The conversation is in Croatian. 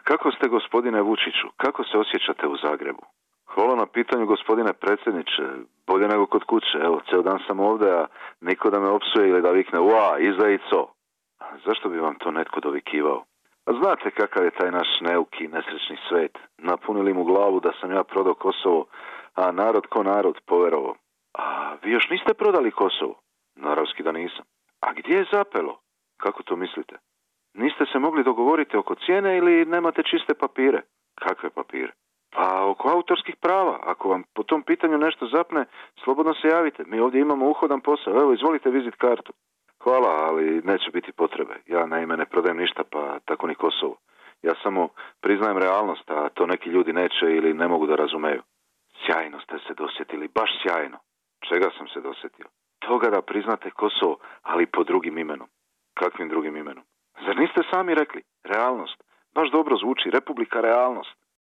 kako ste, gospodine Vučiću? Kako se osjećate u Zagrebu? Hvala na pitanju, gospodine predsjedniče. Bolje nego kod kuće. Evo, ceo dan sam ovdje, a niko da me opsuje ili da vikne ua, izdajico. Zašto bi vam to netko dovikivao? A znate kakav je taj naš neuki, nesrećni svet. Napunili mu glavu da sam ja prodao Kosovo, a narod ko narod poverovo. A vi još niste prodali Kosovo? Naravski da nisam. A gdje je zapelo? Kako to mislite? Niste se mogli dogovoriti oko cijene ili nemate čiste papire? Kakve papire? Pa oko autorskih prava. Ako vam po tom pitanju nešto zapne, slobodno se javite. Mi ovdje imamo uhodan posao. Evo, izvolite vizit kartu. Hvala, ali neće biti potrebe. Ja naime ne prodajem ništa, pa tako ni Kosovo. Ja samo priznajem realnost, a to neki ljudi neće ili ne mogu da razumeju. Sjajno ste se dosjetili, baš sjajno. Čega sam se dosjetio? Toga da priznate Kosovo, ali pod drugim imenom. Kakvim drugim imenom? Zar niste sami rekli? Realnost. Baš dobro zvuči, Republika realnost.